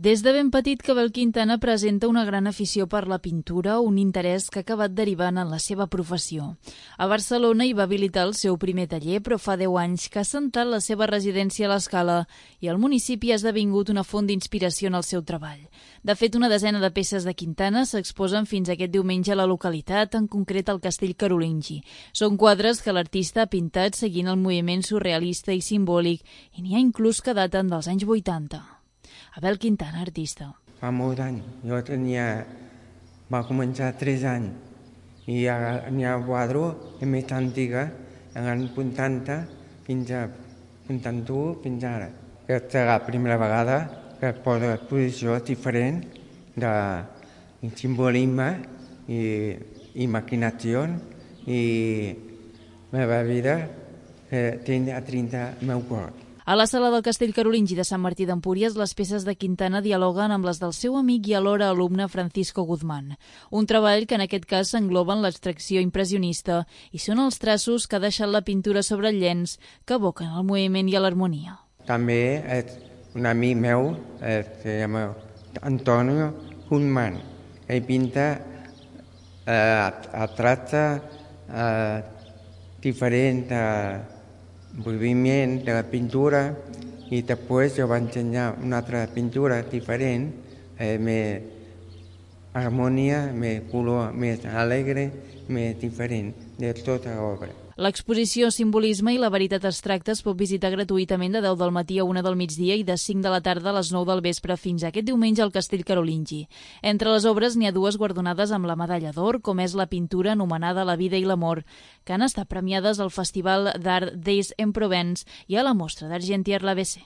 Des de ben petit que Abel Quintana presenta una gran afició per la pintura, un interès que ha acabat derivant en la seva professió. A Barcelona hi va habilitar el seu primer taller, però fa 10 anys que ha assentat la seva residència a l'Escala i el municipi ha esdevingut una font d'inspiració en el seu treball. De fet, una desena de peces de Quintana s'exposen fins aquest diumenge a la localitat, en concret al Castell Carolingi. Són quadres que l'artista ha pintat seguint el moviment surrealista i simbòlic i n'hi ha inclús que daten dels anys 80. Abel Quintana, artista. Fa molt d'anys. Va començar 3 anys i n'hi ha quadros més antiga, en els 80 fins a 81 fins ara. Aquesta és la primera vegada que es posa exposició diferent de simbolisme i imaginació i la meva vida té a 30 meu cor. A la sala del Castell Carolingi de Sant Martí d'Empúries, les peces de Quintana dialoguen amb les del seu amic i alhora alumne Francisco Guzmán. Un treball que en aquest cas s'engloba en l'abstracció impressionista i són els traços que ha deixat la pintura sobre el llenç que evoquen el moviment i l'harmonia. També és un amic meu, se llama Antonio Guzmán. Ell pinta tracta diferent moviment de la pintura i després jo vaig ensenyar una altra pintura diferent, més harmonia, més color, més alegre, més diferent de tota l'obra. L'exposició Simbolisme i la veritat abstracta es pot visitar gratuïtament de 10 del matí a 1 del migdia i de 5 de la tarda a les 9 del vespre fins aquest diumenge al Castell Carolingi. Entre les obres n'hi ha 2 guardonades amb la medalla d'or, com és la pintura anomenada La vida i l'amor, que han estat premiades al Festival d'Art d'Aix en Provence i a la Mostra d'Argentière l'ABC.